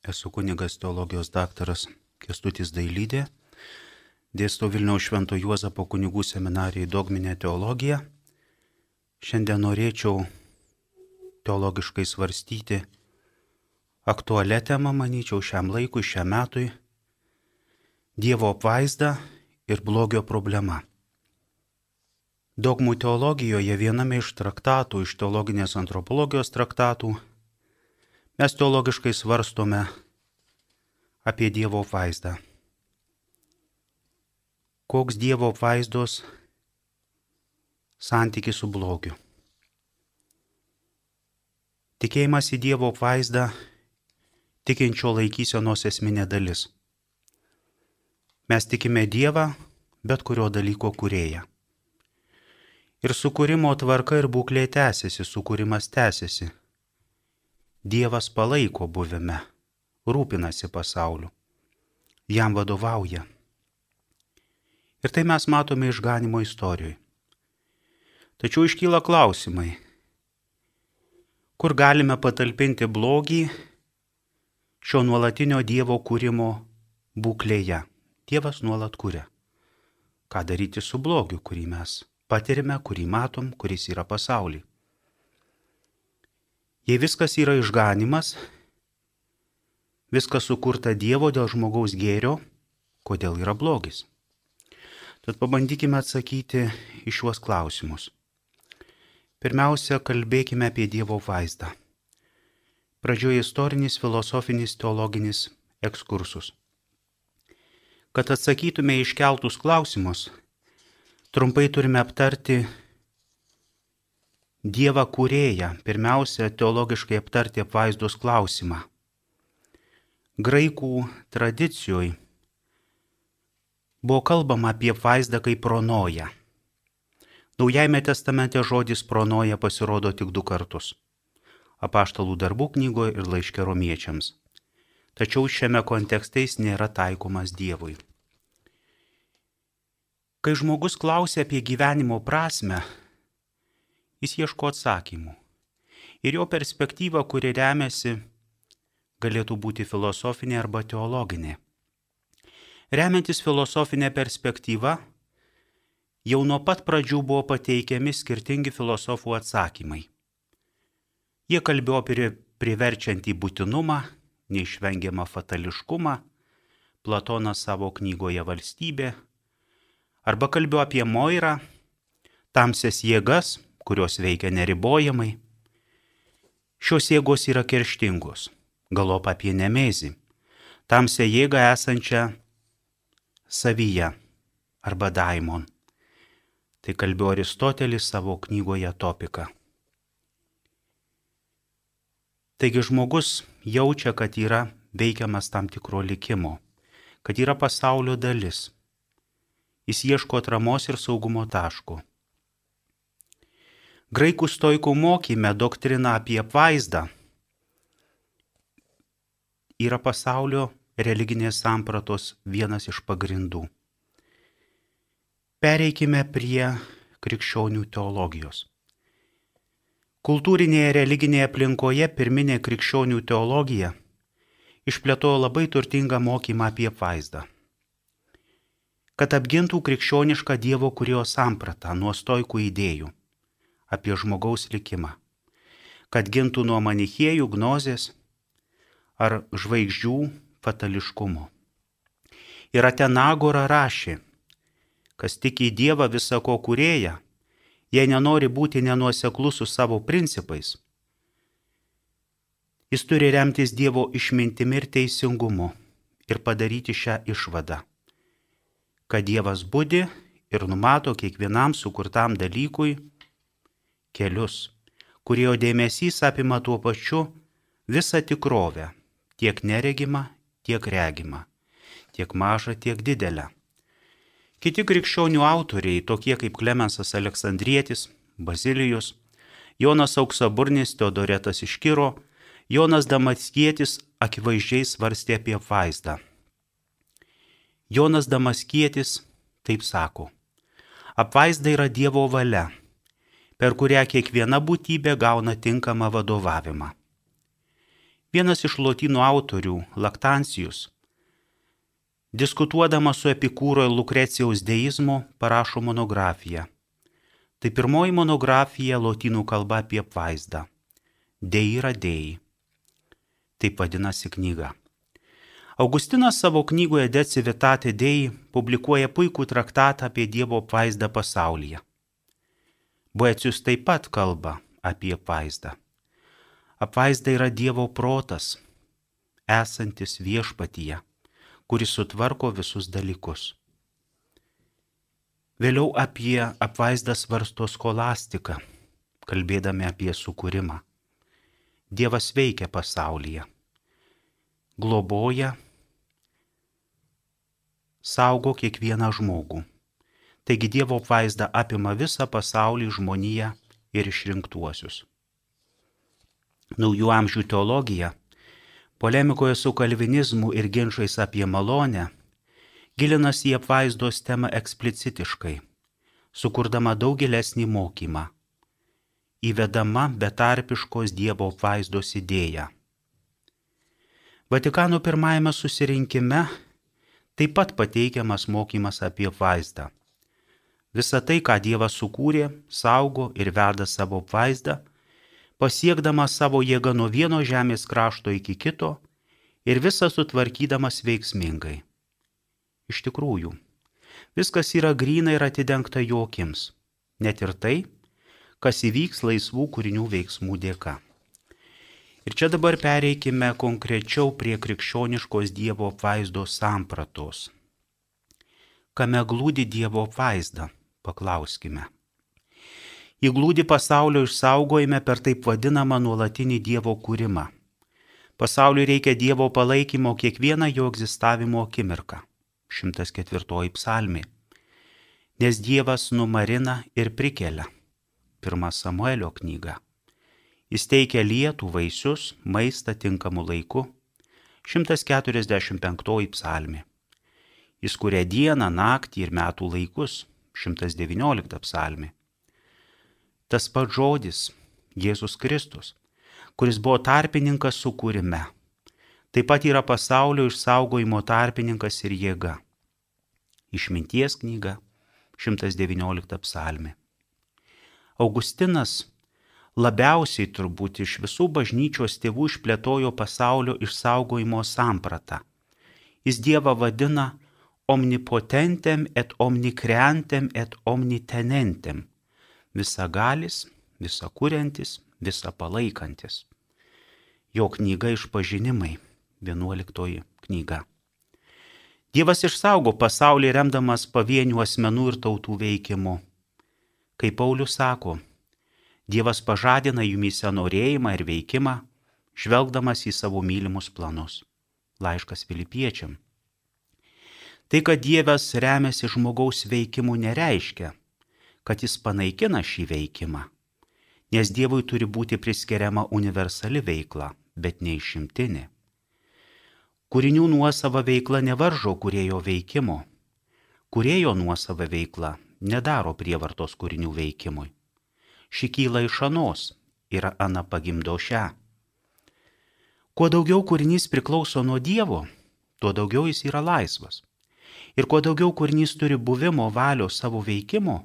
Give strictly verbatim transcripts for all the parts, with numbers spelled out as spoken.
Esu kunigas teologijos daktaras Kęstutis Dailydė, dėstau Vilniaus Švento Juozapo kunigų seminarijai dogminę teologiją. Šiandien norėčiau teologiškai svarstyti aktualią temą, manyčiau, šiam laikui, šiam metui - Dievo apvaizda ir blogio problema. Dogmų teologijoje viename iš traktatų, iš teologinės antropologijos traktatų, mes teologiškai svarstome apie Dievo apvaizdą. Koks Dievo apvaizdos santykis su blogiu. Tikėjimas į Dievo apvaizdą tikinčio laikysenos esminė dalis. Mes tikime Dievą, bet kurio dalyko kūrėją. Ir sukūrimo tvarka ir būklė tęsiasi, sukūrimas tęsiasi. Dievas palaiko buvime, rūpinasi pasauliu, jam vadovauja. Ir tai mes matome išganimo istorijoje. Tačiau iškyla klausimai, kur galime patalpinti blogį šio nuolatinio Dievo kūrimo būklėje. Dievas nuolat kuria. Ką daryti su blogiu, kurį mes patirime, kurį matom, kuris yra pasaulyje. Jei viskas yra išganimas, viskas sukurta Dievo dėl žmogaus gėrio, kodėl yra blogis? Tad pabandykime atsakyti į šiuos klausimus. Pirmiausia, kalbėkime apie Dievo vaizdą. Pradžioje istorinis, filosofinis, teologinis ekskursus. Kad atsakytume iškeltus klausimus, trumpai turime aptarti Dievą kūrėją, pirmiausia, teologiškai aptarti apvaizdos klausimą. Graikų tradicijoje buvo kalbama apie apvaizdą kaip pronoją. Naujajame testamente žodis pronoja pasirodo tik du kartus - Apaštalų darbų knygoje ir laiške romiečiams. Tačiau šiame kontekste jis nėra taikomas Dievui. Kai žmogus klausia apie gyvenimo prasmę, jis ieško atsakymų. Ir jo perspektyva, kuri remiasi, galėtų būti filosofinė arba teologinė. Remiantis filosofinė perspektyva, jau nuo pat pradžių buvo pateikiami skirtingi filosofų atsakymai. Jie kalbėjo apie priverčiantį būtinumą, neišvengiamą fatališkumą, Platonas savo knygoje Valstybė, arba kalbėjo apie Moirą, tamsias jėgas, kurios veikia neribojamai. Šios jėgos yra kerštingos, galop apie Nemezį, tamsią jėgą esančią savyje, arba daimon. Tai kalbėjo Aristotelis savo knygoje Topika. Taigi žmogus jaučia, kad yra veikiamas tam tikro likimo, kad yra pasaulio dalis. Jis ieško atramos ir saugumo taško. Graikų stoikų mokyme doktrina apie apvaizdą yra pasaulio religinės sampratos vienas iš pagrindų. Pereikime prie krikščionių teologijos. Kultūrinėje religinėje aplinkoje pirminė krikščionių teologija išplėtojo labai turtingą mokymą apie apvaizdą. Kad apgintų krikščionišką Dievo kūrėjo sampratą nuo stoikų idėjų apie žmogaus likimą, kad gintų nuo manichėjų gnozės ar žvaigždžių fatališkumo. Ir Atenagora rašė, kas tiki į Dievą visako kūrėją, jei nenori būti nenuoseklus su savo principais, jis turi remtis Dievo išmintimi ir teisingumu ir padaryti šią išvadą, kad Dievas budi ir numato kiekvienam sukurtam dalykui kelius, kurio dėmesys apima tuo pačiu visą tikrovę, tiek neregimą, tiek regimą, tiek mažą, tiek didelę. Kiti krikščionių autoriai, tokie kaip Klemensas Aleksandrietis, Bazilijus, Jonas Auksaburnis, Teodoretas iš Kiro, Jonas Damaskietis akivaizdžiai svarstė apie apvaizdą. Jonas Damaskietis taip sako: apvaizda yra Dievo valia, per kurią kiekviena būtybė gauna tinkamą vadovavimą. Vienas iš lotynų autorių, Laktancijus, diskutuodamas su Epikūro ir Lukrecijaus deizmu, parašo monografiją. Tai pirmoji monografija lotynų kalba apie apvaizdą. Deira Dei. Taip vadinasi knyga. Augustinas savo knygoje De Civitate Dei publikuoja puikų traktatą apie Dievo apvaizdą pasaulyje. Boecijus taip pat kalba apie apvaizdą. Apvaizda yra Dievo protas, esantis viešpatyje, kuris sutvarko visus dalykus. Vėliau apie apvaizdą svarsto skolastika, kalbėdami apie sukūrimą. Dievas veikia pasaulyje, globoja, saugo kiekvieną žmogų. Taigi Dievo apvaizda apima visą pasaulį, žmoniją ir išrinktuosius. Naujų amžių teologija, polemikoje su kalvinizmu ir ginčais apie malonę, gilinasi į apvaizdos temą eksplicitiškai, sukurdama daug gilesnį mokymą, įvedama betarpiškos Dievo apvaizdos idėją. Vatikano pirmajame susirinkime taip pat pateikiamas mokymas apie apvaizdą. Visa tai, ką Dievas sukūrė, saugo ir veda savo apvaizdą, pasiekdamas savo jėgą nuo vieno žemės krašto iki kito ir visą sutvarkydamas veiksmingai. Iš tikrųjų, viskas yra gryna ir atidengta jo akims, net ir tai, kas įvyks laisvų kūrinių veiksmų dėka. Ir čia dabar pereikime konkrečiau prie krikščioniškos Dievo apvaizdos sampratos. Kame glūdi Dievo apvaizda, paklauskime. Ji glūdi pasaulio išsaugojime per taip vadinamą nuolatinį Dievo kūrimą. Pasauliui reikia Dievo palaikymo kiekvieną jo egzistavimo akimirką. šimtas ketvirtoji psalmė. Nes Dievas numarina ir prikelia. Pirma Samuelio knyga. Jis teikia lietų, vaisius, maistą tinkamu laiku. šimtas keturiasdešimt penktoji psalmė. Jis kuria dieną, naktį ir metų laikus. šimtas devyniolikta psalmė. Tas pats žodis, Jėzus Kristus, kuris buvo tarpininkas sukūrime, taip pat yra pasaulio išsaugojimo tarpininkas ir jėga. Išminties knyga, šimtas devyniolikta psalmė. Augustinas labiausiai turbūt iš visų bažnyčios tėvų išplėtojo pasaulio išsaugojimo sampratą. Jis Dievą vadina omnipotentem et omnikreantem et omnitenentem. Visagalis, visakuriantis, visapalaikantis. Jo knyga Išpažinimai, vienuoliktoji knyga. Dievas išsaugo pasaulį remdamas pavienių asmenų ir tautų veikimu. Kaip Paulius sako, Dievas pažadina jumyse norėjimą ir veikimą, žvelgdamas į savo mylimus planus. Laiškas Filipiečiam. Tai, kad Dievas remiasi žmogaus veikimu, nereiškia, kad jis panaikina šį veikimą, nes Dievui turi būti priskiriama universali veikla, bet ne išimtinė. Kūrinių nuosava veikla nevaržo kūrėjo veikimo. Kūrėjo nuosava veikla nedaro prievartos kūrinių veikimui. Ši kyla iš anos ir ana pagimdo šią. Kuo daugiau kūrinys priklauso nuo Dievo, tuo daugiau jis yra laisvas. Ir kuo daugiau kūrinys turi buvimo valios savo veikimo,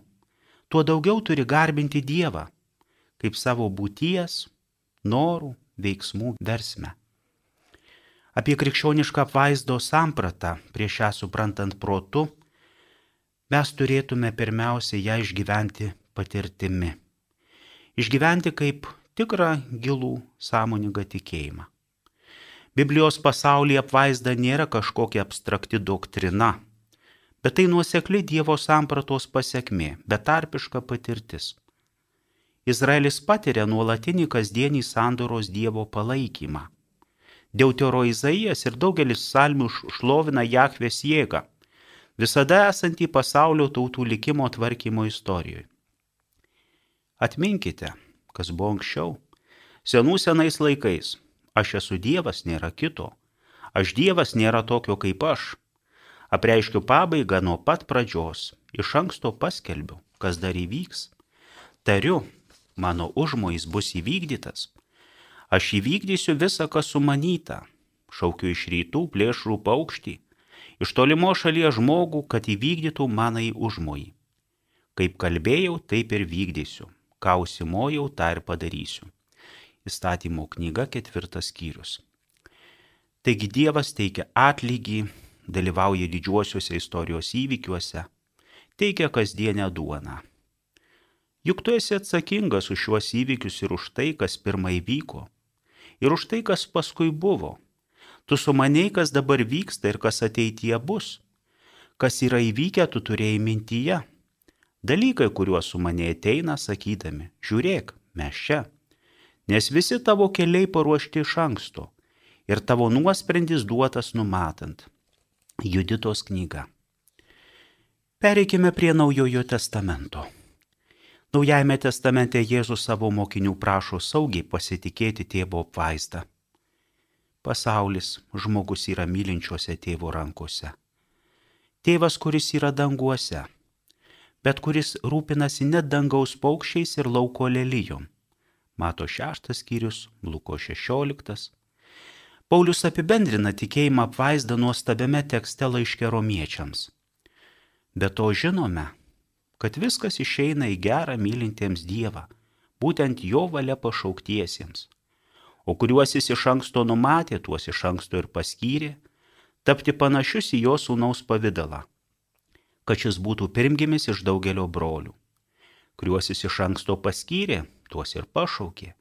tuo daugiau turi garbinti Dievą, kaip savo būties, norų, veiksmų versme. Apie krikščionišką apvaizdos sampratą, prieš ją suprantant protu, mes turėtume pirmiausia ją išgyventi patirtimi. Išgyventi kaip tikrą gilų sąmoningą tikėjimą. Biblijos pasaulyje apvaizda nėra kažkokia abstrakti doktrina, bet tai nuosekli Dievo sampratos pasekmė, betarpiška patirtis. Izraelis patiria nuolatinį kasdienį sandoros Dievo palaikymą. Deutero Izaijas ir daugelis psalmių šlovina Jahvės jėgą, visada esantį pasaulio tautų likimo tvarkymo istorijoje. Atminkite, kas buvo anksčiau. Senų senais laikais. Aš esu Dievas, nėra kito. Aš Dievas, nėra tokio kaip aš. Apreiškiu pabaigą nuo pat pradžios. Iš anksto paskelbiu, kas dar įvyks. Tariu, mano užmojis bus įvykdytas. Aš įvykdysiu visą, kas sumanyta. Šaukiu iš rytų plėšrų paukštį, iš tolimo šalies žmogų, kad įvykdytų manai užmojį. Kaip kalbėjau, taip ir vykdysiu. Ką užsimojau, tą ir padarysiu. Įstatymo knyga, ketvirtas skyrius. Taigi Dievas teikia atlygį, dalyvauja didžiuosiuose istorijos įvykiuose, teikia kasdienę duoną. Juk tu esi atsakingas už šiuos įvykius ir už tai, kas pirmai vyko, ir už tai, kas paskui buvo. Tu sumanei, kas dabar vyksta ir kas ateityje bus. Kas yra įvykę, tu turėjai mintyje. Dalykai, kuriuos sumanei ateina, sakydami, žiūrėk, mes čia. Nes visi tavo keliai paruošti iš anksto ir tavo nuosprendis duotas numatant. Juditos knyga. Pereikime prie Naujojo testamento. Naujajame testamente Jėzus savo mokinių prašo saugiai pasitikėti tėvo apvaizdą. Pasaulis, žmogus yra mylinčiuose tėvo rankose. Tėvas, kuris yra danguose, bet kuris rūpinasi net dangaus paukščiais ir lauko lelijom. Mato šeštas skyrius, Luko šešioliktas. Paulius apibendrina tikėjimą apvaizdą nuostabiame tekste laiške romiečiams. Be to žinome, kad viskas išeina į gerą mylintiems Dievą, būtent jo valia pašauktiesiems, o kuriuos jis iš anksto numatė, tuos iš anksto ir paskyrė, tapti panašius į jo sūnaus pavidalą, kad šis būtų pirmgimis iš daugelio brolių. Kuriuos jis iš anksto paskyrė, tuos ir pašaukė.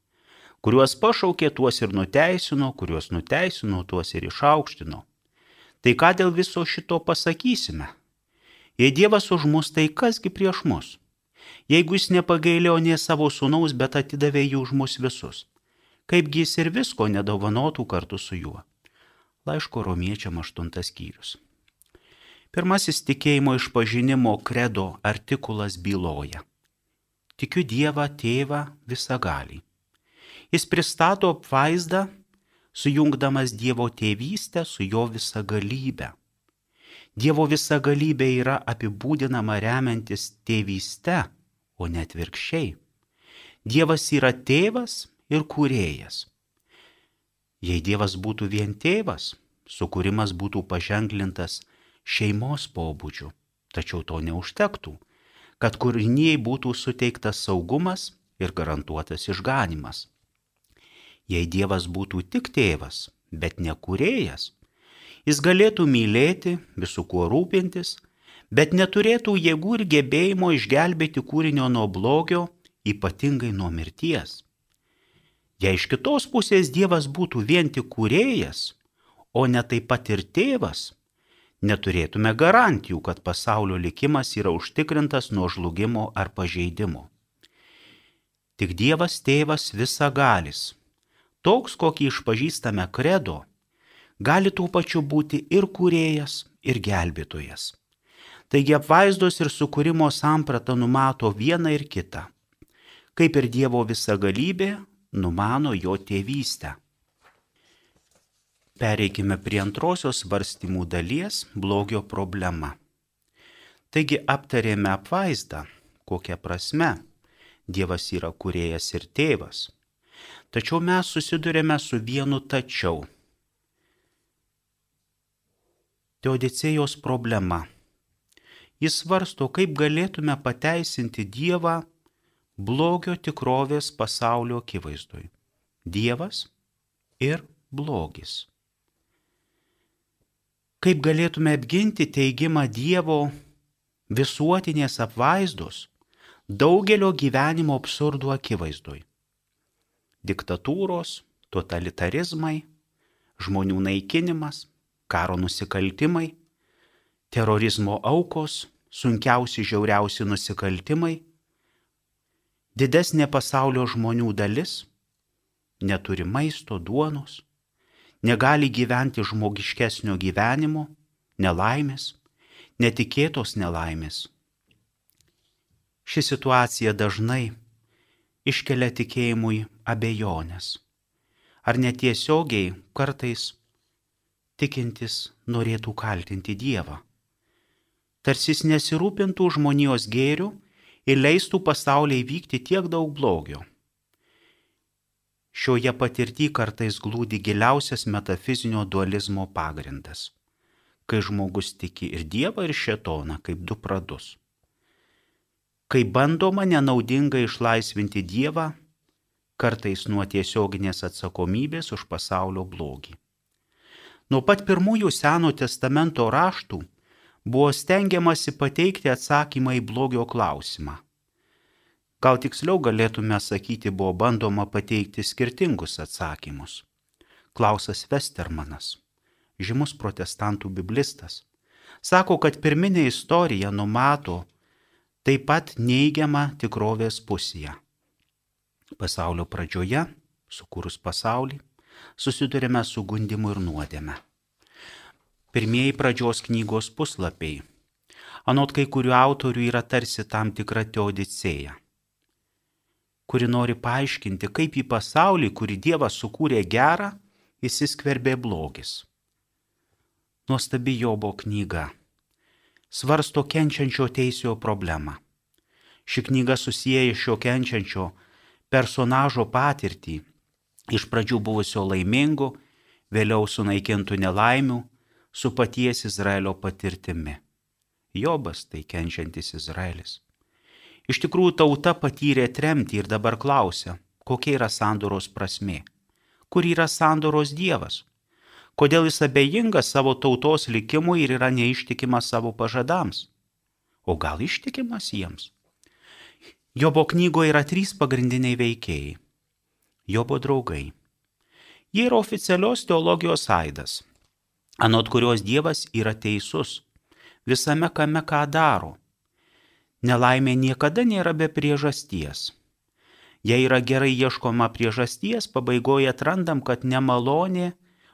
Kuriuos pašaukė, tuos ir nuteisino, kuriuos nuteisino, tuos ir išaukštino. Tai ką dėl viso šito pasakysime? Jei Dievas už mus, tai kasgi prieš mus? Jeigu jis nepagailėjo nė savo sūnaus, bet atidavė jį už mus visus, kaipgi jis ir visko nedovanotų kartu su juo? Laiško romiečiam aštuntas skyrius. Pirmasis tikėjimo išpažinimo kredo artikulas byloja. Tikiu Dievą Tėvą visagalį. Jis pristato apvaizdą, sujungdamas Dievo tėvystę su jo visagalybę. Dievo visagalybė yra apibūdinama remiantis tėvyste, o ne atvirkščiai. Dievas yra tėvas ir kūrėjas. Jei Dievas būtų vien tėvas, sukūrimas būtų paženklintas šeimos pobūdžiu, tačiau to neužtektų, kad kūrinijai būtų suteiktas saugumas ir garantuotas išganymas. Jei Dievas būtų tik tėvas, bet ne kūrėjas, jis galėtų mylėti, visų kuo rūpintis, bet neturėtų jėgų ir gebėjimo išgelbėti kūrinio nuo blogio, ypatingai nuo mirties. Jei iš kitos pusės Dievas būtų vien tik kūrėjas, o ne taip pat ir tėvas, neturėtume garantijų, kad pasaulio likimas yra užtikrintas nuo žlugimo ar pažeidimo. Tik Dievas tėvas visagalis, toks, kokį išpažįstame kredo, gali tuo pačiu būti ir kūrėjas, ir gelbėtojas. Taigi apvaizdos ir sukūrimo samprata numato vieną ir kitą, kaip ir Dievo visagalybė numano jo tėvystę. Pereikime prie antrosios svarstymų dalies – blogio problema. Taigi aptarėme apvaizdą, kokia prasme Dievas yra kūrėjas ir tėvas. Tačiau mes susidurėme su vienu tačiau. Teodicėjos problema. Jis svarsto, kaip galėtume pateisinti Dievą blogio tikrovės pasaulio akivaizdoj. Dievas ir blogis. Kaip galėtume apginti teigimą Dievo visuotinės apvaizdos daugelio gyvenimo absurdų akivaizdoj. Diktatūros, totalitarizmai, žmonių naikinimas, karo nusikaltimai, terorizmo aukos, sunkiausi žiauriausi nusikaltimai, didesnė pasaulio žmonių dalis neturi maisto, duonos, negali gyventi žmogiškesnio gyvenimo, nelaimės, netikėtos nelaimės. Ši situacija dažnai iškelia tikėjimui abejonės, ar netiesiogiai kartais tikintis norėtų kaltinti Dievą. Tarsi jis nesirūpintų žmonijos gėrių ir leistų pasaulyje vykti tiek daug blogio. Šioje patirtyje kartais glūdi giliausias metafizinio dualizmo pagrindas, kai žmogus tiki ir Dievą, ir šėtoną kaip du pradus. Kai bandoma nenaudingai išlaisvinti Dievą, kartais nuo tiesioginės atsakomybės už pasaulio blogį. Nuo pat pirmųjų Senojo testamento raštų buvo stengiamasi pateikti atsakymą į blogio klausimą. Gal tiksliau galėtume sakyti, buvo bandoma pateikti skirtingus atsakymus. Klausas Westermanas, žymus protestantų biblistas, sako, kad pirminė istorija numato taip pat neigiamą tikrovės pusėje. Pasaulio pradžioje, sukūrus pasaulį, susidurime su gundymu ir nuodėme. Pirmieji pradžios knygos puslapiai, anot kai kurių autorių, yra tarsi tam tikra teodicėja, kuri nori paaiškinti, kaip į pasaulį, kurį Dievas sukūrė gerą, įsiskverbė blogis. Nuostabi Jobo knyga svarsto kenčiančio teisėjo problemą. Ši knyga susieja šio kenčiančio personažo patirtį, iš pradžių buvusio laimingu, vėliau sunaikintų nelaimių, su paties Izraelio patirtimi. Jobas tai kenčiantis Izraelis. Iš tikrųjų, tauta patyrė tremtį ir dabar klausia, kokia yra sandoros prasmė, kur yra sandoros Dievas, kodėl jis abejingas savo tautos likimui ir yra neištikimas savo pažadams, o gal ištikimas jiems. Jobo knygoje yra trys pagrindiniai veikėjai. Jobo draugai. Jie yra oficialios teologijos aidas, anot kurios Dievas yra teisus visame kame, ką daro. Nelaimė niekada nėra be priežasties. Jei yra gerai ieškoma priežasties, pabaigoje atrandam, kad nemalonė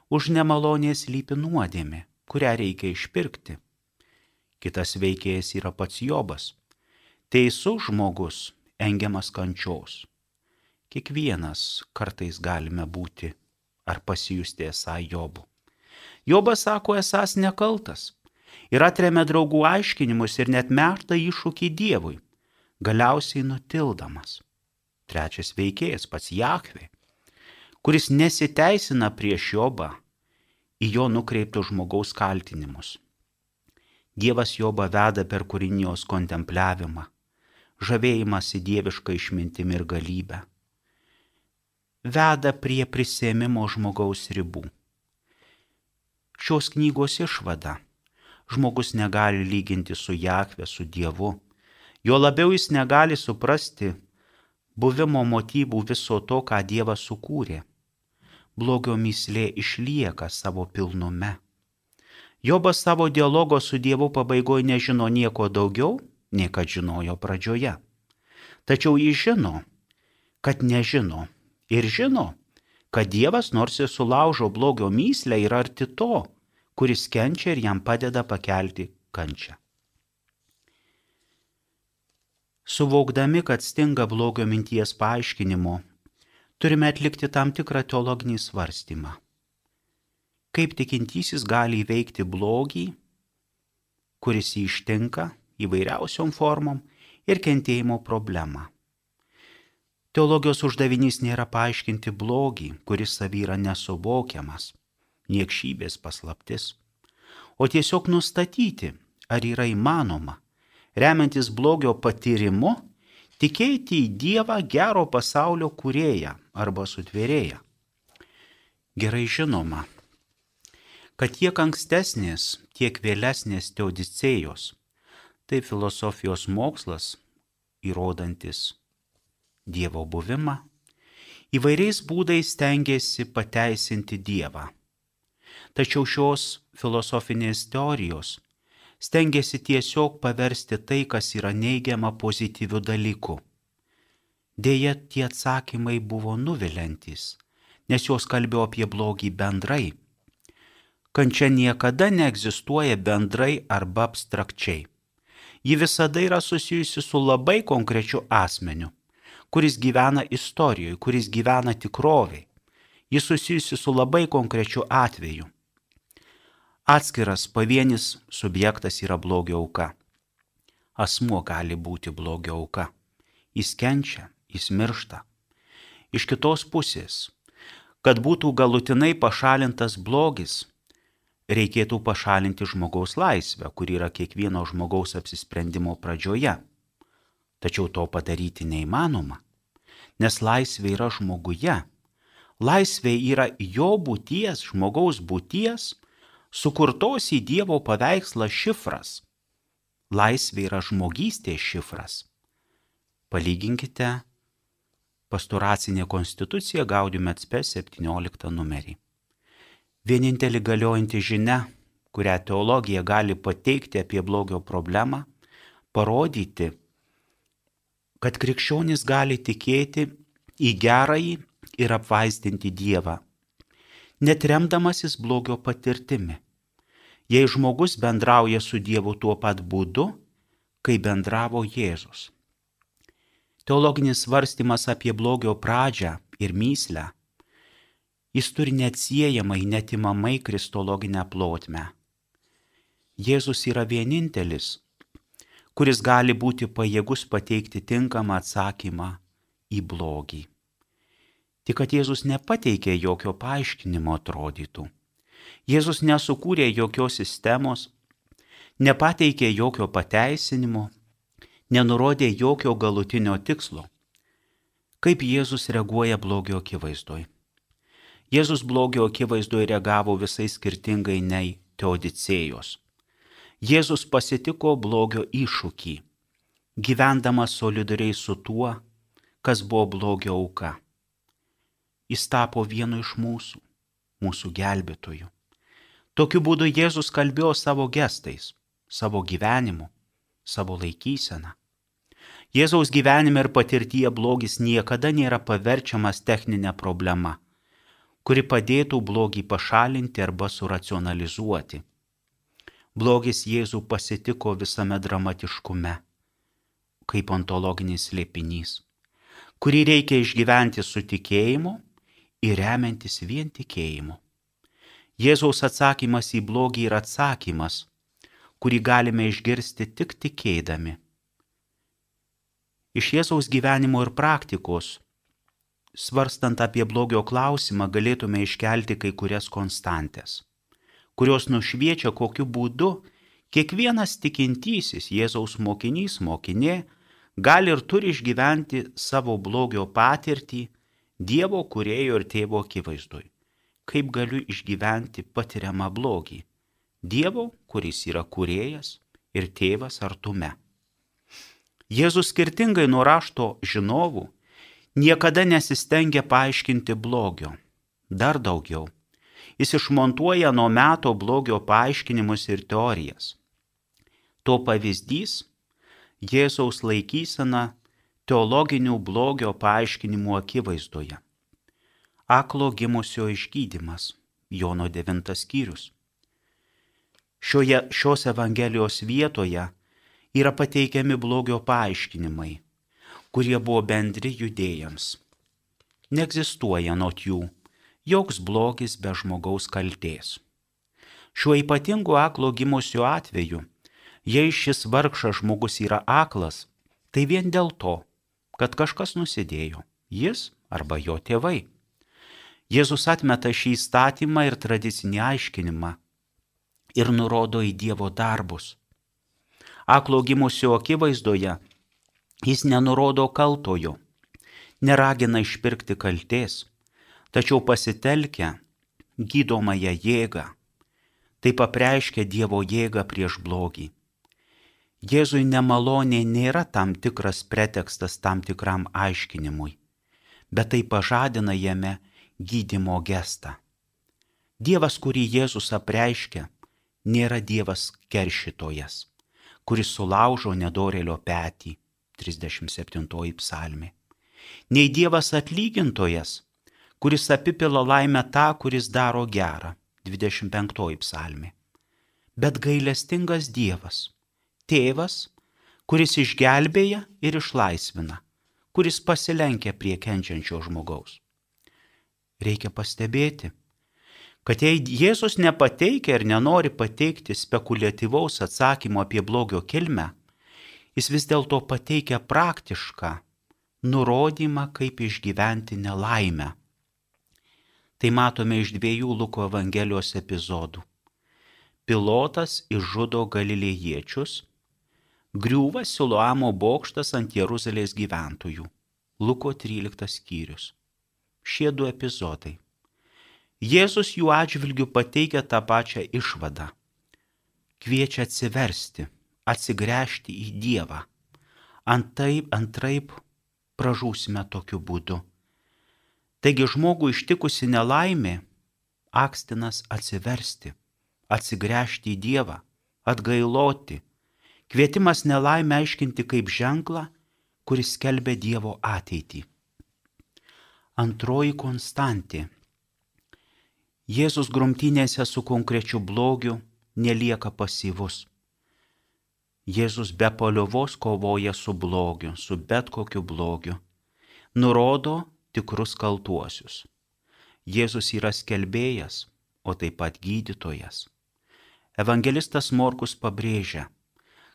už nemalonės slypi nuodėmė, kurią reikia išpirkti. Kitas veikėjas yra pats Jobas. Teisus žmogus engiamas kančios. Kiekvienas kartais galime būti ar pasijusti esą Jobu. Jobas sako esąs nekaltas ir atremia draugų aiškinimus ir net meta iššūkį Dievui, galiausiai nutildamas. Trečias veikėjas pats Jahvė, kuris nesiteisina prieš Jobą į jo nukreiptus žmogaus kaltinimus. Dievas Jobą veda per kūrinijos kontempliavimą, žavėjimąsi dievišką išmintimi ir galybę. Veda prie prisiėmimo žmogaus ribų. Šios knygos išvada. Žmogus negali lyginti su Jahve, su Dievu. Jo labiau jis negali suprasti buvimo motyvų viso to, ką Dievas sukūrė. Blogio mįslė išlieka savo pilnume. Jobas savo dialogo su Dievu pabaigoje nežino nieko daugiau, nei kad žinojo pradžioje. Tačiau jis žino, kad nežino ir žino, kad Dievas nors ir sulaužo blogio mįslę yra arti to, kuris kenčia ir jam padeda pakelti kančią. Suvokdami, kad stinga blogio minties paaiškinimo, turime atlikti tam tikrą teologinį svarstymą. Kaip tikintysis gali įveikti blogį, kuris jį ištinka įvairiausiom formom ir kentėjimo problemą. Teologijos uždavinys nėra paaiškinti blogį, kuris savy yra nesuvokiamas, niekšybės paslaptis, o tiesiog nustatyti, ar yra įmanoma, remiantis blogio patyrimu, tikėti į Dievą gero pasaulio kūrėją arba sutvėrėją. Gerai žinoma, kad tiek ankstesnės, tiek vėlesnės teodicėjos, tai filosofijos mokslas, įrodantis Dievo buvimą, įvairiais būdais stengiasi pateisinti Dievą. Tačiau šios filosofinės teorijos stengiasi tiesiog paversti tai, kas yra neigiama, pozityviu dalyku. Deja, tie atsakymai buvo nuviliantys, nes jos kalbėjo apie blogį bendrai. Kančia niekada neegzistuoja bendrai arba abstrakčiai. Ji visada yra susijusi su labai konkrečiu asmeniu, kuris gyvena istorijoje, kuris gyvena tikrovėje. Ji susijusi su labai konkrečiu atveju. Atskiras pavienis subjektas yra blogio auka. Asmuo gali būti blogio auka. Jis kenčia, jis miršta. Iš kitos pusės, Kad būtų galutinai pašalintas blogis, reikėtų pašalinti žmogaus laisvę, kuri yra kiekvieno žmogaus apsisprendimo pradžioje. Tačiau to padaryti neįmanoma, nes laisvė yra žmoguje. Laisvė yra jo būties, žmogaus būties, sukurtos į Dievo paveikslą šifras. Laisvė yra žmogystės šifras. Palyginkite Pastoracinė konstitucija Gaudium et Spes septynioliktą numerį. Vienintelė galiojanti žinia, kurią teologija gali pateikti apie blogio problemą, parodyti, kad krikščionis gali tikėti į gerąjį ir apvaizdinti Dievą, net remdamasis blogio patirtimi, jei žmogus bendrauja su Dievu tuo pat būdu, kai bendravo Jėzus. Teologinis svarstymas apie blogio pradžią ir mįslę, jis turi neatsiejamai, netimamai kristologinę plotmę. Jėzus yra vienintelis, kuris gali būti pajėgus pateikti tinkamą atsakymą į blogį. Tik kad Jėzus nepateikė jokio paaiškinimo atrodytų. Jėzus nesukūrė jokios sistemos, nepateikė jokio pateisinimo, nenurodė jokio galutinio tikslo. Kaip Jėzus reaguoja blogio akivaizdoj? Jėzus blogio akivaizdoj reagavo visai skirtingai nei Teodicėjos. Jėzus pasitiko blogio iššūkį, gyvendamas solidariai su tuo, kas buvo blogio auka. Jis tapo vienu iš mūsų, mūsų gelbėtojų. Tokiu būdu Jėzus kalbėjo savo gestais, savo gyvenimu, savo laikyseną. Jėzaus gyvenime ir patirtyje blogis niekada nėra paverčiamas techninė problema, kuri padėtų blogį pašalinti arba suracionalizuoti. Blogis Jėzų pasitiko visame dramatiškume, kaip ontologinis slėpinys, kurį reikia išgyventi su tikėjimu ir remiantis vien tikėjimu. Jėzaus atsakymas į blogį yra atsakymas, kurį galime išgirsti tik tikėdami. Iš Jėzaus gyvenimo ir praktikos, svarstant apie blogio klausimą, galėtume iškelti kai kurias konstantės, kurios nušviečia, kokiu būdu kiekvienas tikintysis Jėzaus mokinys, mokinė, gali ir turi išgyventi savo blogio patirtį Dievo kūrėjo ir tėvo akivaizdoj. Kaip galiu išgyventi patiriamą blogį? Dievo, kuris yra kūrėjas ir tėvas artume. Jėzus skirtingai nuo rašto žinovų niekada nesistengia paaiškinti blogio. Dar daugiau. Jis išmontuoja nuo meto blogio paaiškinimus ir teorijas. To pavyzdys – Jėzaus laikysena teologinių blogio paaiškinimų akivaizdoje. Aklo gimusio išgydymas, Jono devintas skyrius. Šioje, šios Evangelijos vietoje yra pateikiami blogio paaiškinimai, kurie buvo bendri judėjams. Neegzistuoja anot jų joks blogis be žmogaus kaltės. Šiuo ypatingu aklo gimusio atveju, jei šis vargšas žmogus yra aklas, tai vien dėl to, kad kažkas nusidėjo, jis arba jo tėvai. Jėzus atmeta šį įstatymą ir tradicinį aiškinimą ir nurodo į Dievo darbus. Aklo gimusio akivaizdoje jis nenurodo kaltojo, neragina išpirkti kaltės, tačiau pasitelkia gydomąją jėgą, taip apreiškia Dievo jėgą prieš blogį. Jėzui nemalonė nėra tam tikras pretekstas tam tikram aiškinimui, bet tai pažadina jame gydymo gestą. Dievas, kurį Jėzus apreiškia, nėra Dievas keršytojas, kuris sulaužo nedorėlio petį, trisdešimt septintoji psalmė. Nei Dievas atlygintojas, kuris apipila laimę tą, kuris daro gerą, dvidešimt penktoji psalmė. Bet gailestingas Dievas, tėvas, kuris išgelbėja ir išlaisvina, kuris pasilenkia prie kenčiančio žmogaus. Reikia pastebėti, kad jei Jėzus nepateikia ir nenori pateikti spekuliatyvaus atsakymo apie blogio kilmę, jis vis dėlto pateikia praktišką nurodymą, kaip išgyventi nelaimę. Tai matome iš dviejų Luko Evangelijos epizodų. Pilotas išžudo galilėjiečius, griūva Siloamo bokštas ant Jeruzalės gyventojų. Luko tryliktas skyrius. Šie du epizodai. Jėzus jų atžvilgių pateikia tą pačią išvadą. Kviečia atsiversti, atsigręžti į Dievą. Antaip, antraip pražūsime tokiu būdu. Taigi žmogų ištikusi nelaimė, akstinas atsiversti, atsigręžti į Dievą, atgailoti, kvietimas nelaimę aiškinti kaip ženklą, kuris skelbia Dievo ateitį. Antroji konstantė. Jėzus grumtynėse su konkrečiu blogiu nelieka pasyvus. Jėzus be paliovos kovoja su blogiu, su bet kokiu blogiu. Nurodo tikrus kaltuosius. Jėzus yra skelbėjas, o taip pat gydytojas. Evangelistas Morkus pabrėžia,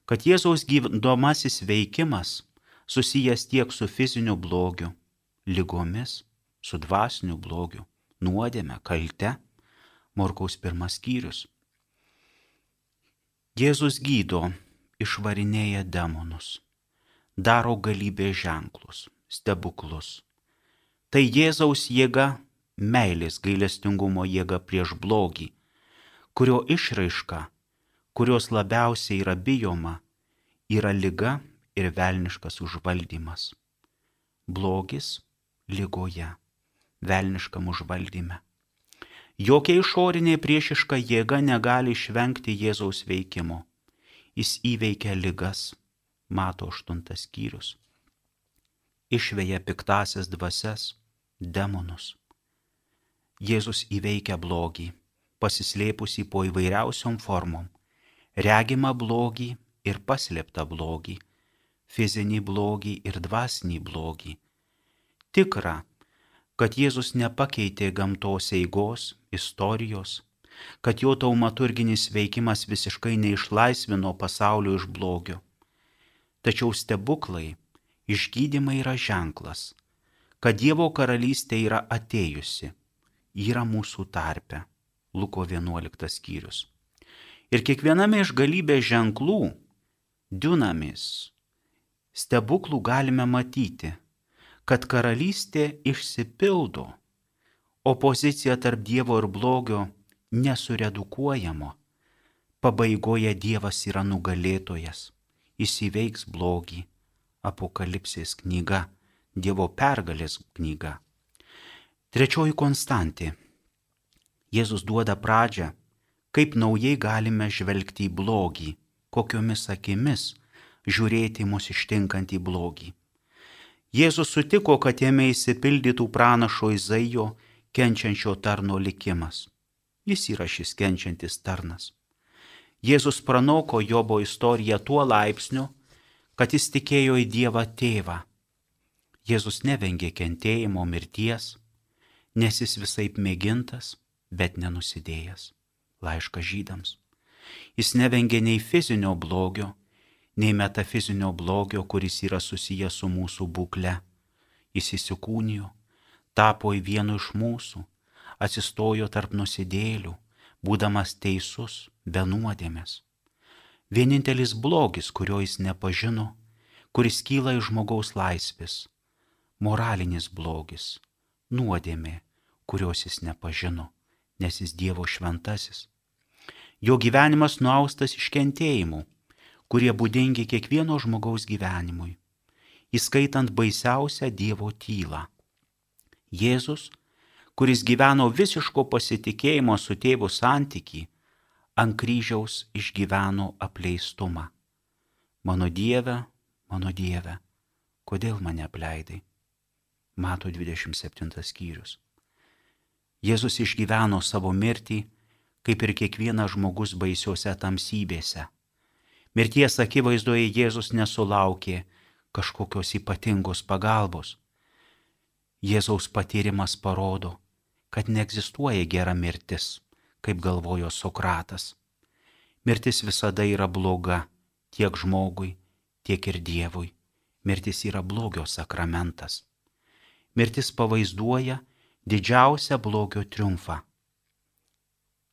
kad Jėzaus gydomasis veikimas susijęs tiek su fiziniu blogiu, ligomis, su dvasiniu blogiu, nuodėme, kalte. Morkaus pirmas skyrius. Jėzus gydo, išvarinėja demonus, daro galybės ženklus, stebuklus. Tai Jėzaus jėga, meilės gailestingumo jėga prieš blogį, kurio išraiška, kurios labiausiai yra bijoma, yra liga ir velniškas užvaldymas. Blogis ligoje, velniškam užvaldyme. Jokia išorinė priešiška jėga negali išvengti Jėzaus veikimo. Jis įveikia ligas, Mato aštuntas skyrius. Išveja piktasias dvasias, demonus. Jėzus įveikia blogį, pasislėpusį po įvairiausiom formom, regimą blogį ir paslėptą blogį, fizinį blogį ir dvasinį blogį. Tikra, kad Jėzus nepakeitė gamtos eigos, istorijos, kad jo taumaturginis veikimas visiškai neišlaisvino pasaulio iš blogio. Tačiau stebuklai, išgydymai yra ženklas, kad Dievo karalystė yra atėjusi, yra mūsų tarpe. Luko vienuoliktas skyrius. Ir kiekviename iš galybės ženklų, dunamis, stebuklų galime matyti, kad karalystė išsipildo, opozicija tarp Dievo ir blogio nesuredukuojama. Pabaigoje Dievas yra nugalėtojas, jis įveiks blogį. Apokalipsės knyga, Dievo pergalės knyga. Trečioji konstantė. Jėzus duoda pradžią, kaip naujai galime žvelgti į blogį, kokiomis akimis žiūrėti mus ištinkantį blogį. Jėzus sutiko, kad jame įsipildytų pranašo Izaijo kenčiančio tarno likimas. Jis yra šis kenčiantis tarnas. Jėzus pranoko Jobo istoriją tuo laipsniu, kad jis tikėjo į Dievą tėvą. Jėzus nevengė kentėjimo mirties, nes jis visaip mėgintas, bet nenusidėjęs. Laiškas Žydams. Jis nevengė nei fizinio blogio, nei metafizinio blogio, kuris yra susijęs su mūsų būkle. Jis įsikūnijo, tapo į vienu iš mūsų, atsistojo tarp nusidėjėlių, būdamas teisus, be nuodėmės. Vienintelis blogis, kurio jis nepažino, kuris kyla iš žmogaus laisvės, moralinis blogis, nuodėmė, kurios jis nepažino, nes jis Dievo šventasis. Jo gyvenimas nuaustas iš kentėjimų, kurie būdingi kiekvieno žmogaus gyvenimui, įskaitant baisiausią Dievo tylą. Jėzus, kuris gyveno visiško pasitikėjimo su tėvu santykį, ant kryžiaus išgyveno apleistumą. Mano Dieve, mano Dieve, kodėl mane apleidai? Mato dvidešimt septintas skyrius. Jėzus išgyveno savo mirtį, kaip ir kiekvienas žmogus baisiuose tamsybėse. Mirties akivaizdoje Jėzus nesulaukė kažkokios ypatingos pagalbos. Jėzaus patyrimas parodo, kad neegzistuoja gera mirtis, kaip galvojo Sokratas. Mirtis visada yra bloga tiek žmogui, tiek ir Dievui. Mirtis yra blogio sakramentas. Mirtis pavaizduoja didžiausią blogio triumfą.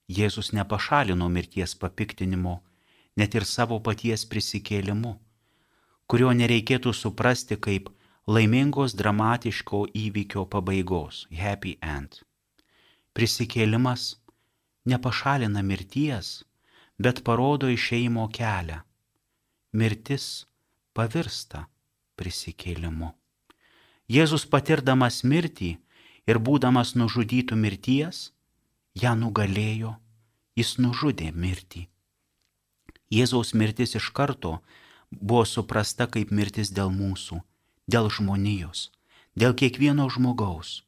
Jėzus nepašalino mirties papiktinimo net ir savo paties prisikėlimu, kurio nereikėtų suprasti kaip laimingos dramatiško įvykio pabaigos, happy end. Prisikėlimas nepašalina mirties, bet parodo išėjimo kelią. Mirtis pavirsta prisikėlimu. Jėzus patirdamas mirtį ir būdamas nužudytų mirties, ją nugalėjo, jis nužudė mirtį. Jėzaus mirtis iš karto buvo suprasta kaip mirtis dėl mūsų, dėl žmonijos, dėl kiekvieno žmogaus.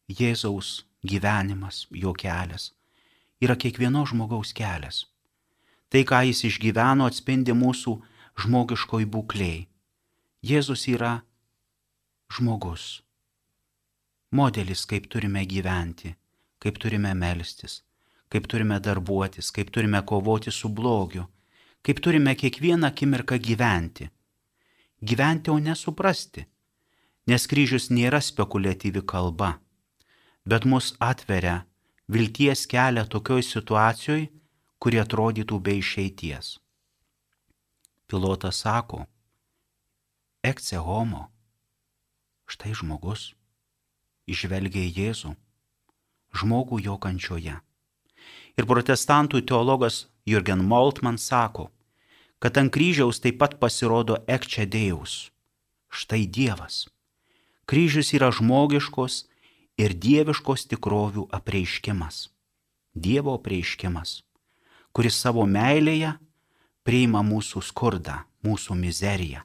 Jėzaus gyvenimas, jo kelias, yra kiekvieno žmogaus kelias. Tai, ką jis išgyveno, atspindi mūsų žmogiškoj būklėj. Jėzus yra žmogus, modelis, kaip turime gyventi, kaip turime melstis, kaip turime darbuotis, kaip turime kovoti su blogiu, kaip turime kiekvieną akimirką gyventi. Gyventi, o nesuprasti, nes kryžius nėra spekuliatyvi kalba, bet mus atveria vilties kelią tokioj situacijoje, kurie atrodytų be išeities. Pilotas sako, ecce homo, štai žmogus, įžvelgia į Jėzų, žmogų jo kančioje. Ir protestantų teologas Jürgen Moltmann sako, kad ant kryžiaus taip pat pasirodo ecce Deus, štai Dievas. Kryžius yra žmogiškos ir dieviškos tikrovių apreiškimas, Dievo apreiškimas, kuris savo meilėje priima mūsų skurdą, mūsų mizeriją.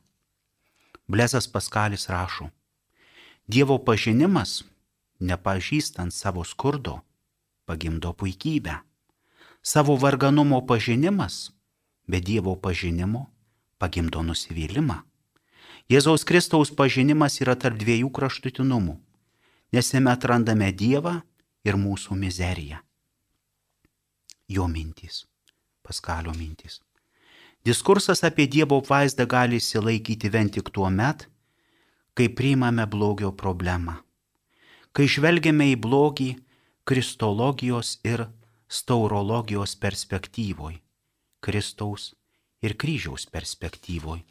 Blezas Paskalis rašo, Dievo pažinimas, nepažįstant savo skurdo, pagimdo puikybę. Savo varganumo pažinimas, be Dievo pažinimo, pagimdo nusivylimą. Jėzaus Kristaus pažinimas yra tarp dviejų kraštutinumų, nes jame atrandame Dievą ir mūsų mizeriją. Jo mintys, Paskalio mintys. Diskursas apie Dievo apvaizdą gali išsilaikyti vien tik tuo met, kai priimame blogio problemą, kai žvelgiame į blogį kristologijos ir staurologijos perspektyvoj, Kristaus ir kryžiaus perspektyvoj.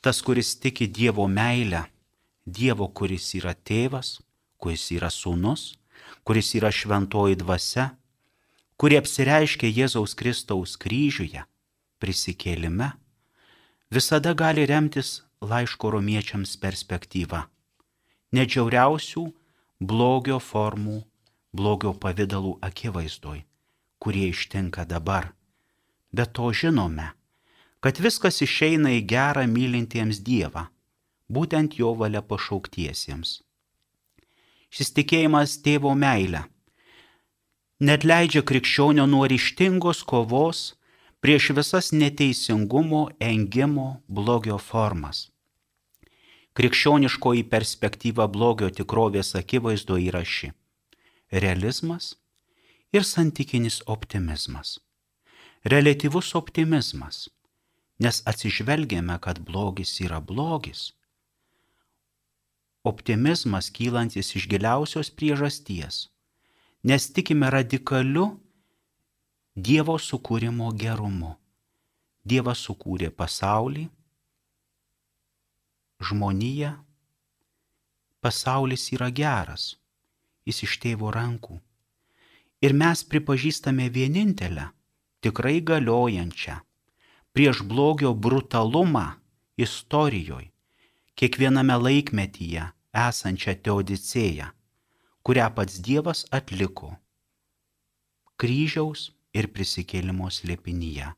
Tas, kuris tiki Dievo meilę, Dievo, kuris yra tėvas, kuris yra sūnus, kuris yra šventoji dvasia, kuri apsireiškia Jėzaus Kristaus kryžiuje, prisikėlime, visada gali remtis laiško romiečiams perspektyva. Net žiauriausių blogio formų, blogio pavidalų akivaizdoj, kurie ištinka dabar. Bet to žinome, kad viskas išeina į gerą mylintiems Dievą, būtent jo valia pašauktiesiems. Šis tikėjimas tėvo meilę net leidžia krikščionio nuo ryžtingos kovos prieš visas neteisingumo, engimo, blogio formas. Krikščioniškoji perspektyva blogio tikrovės akivaizdo yra ši – realizmas ir santykinis optimizmas. Reliatyvus optimizmas, nes atsižvelgiame, kad blogis yra blogis. Optimizmas kylantis iš giliausios priežasties, nes tikime radikaliu Dievo sukūrimo gerumu. Dievas sukūrė pasaulį, žmoniją, pasaulis yra geras, jis iš tėvo rankų. Ir mes pripažįstame vienintelę, tikrai galiojančią, prieš blogio brutalumą istorijoje, kiekviename laikmetyje esančią teodicėją, kurią pats Dievas atliko kryžiaus ir prisikėlimo slėpinyje.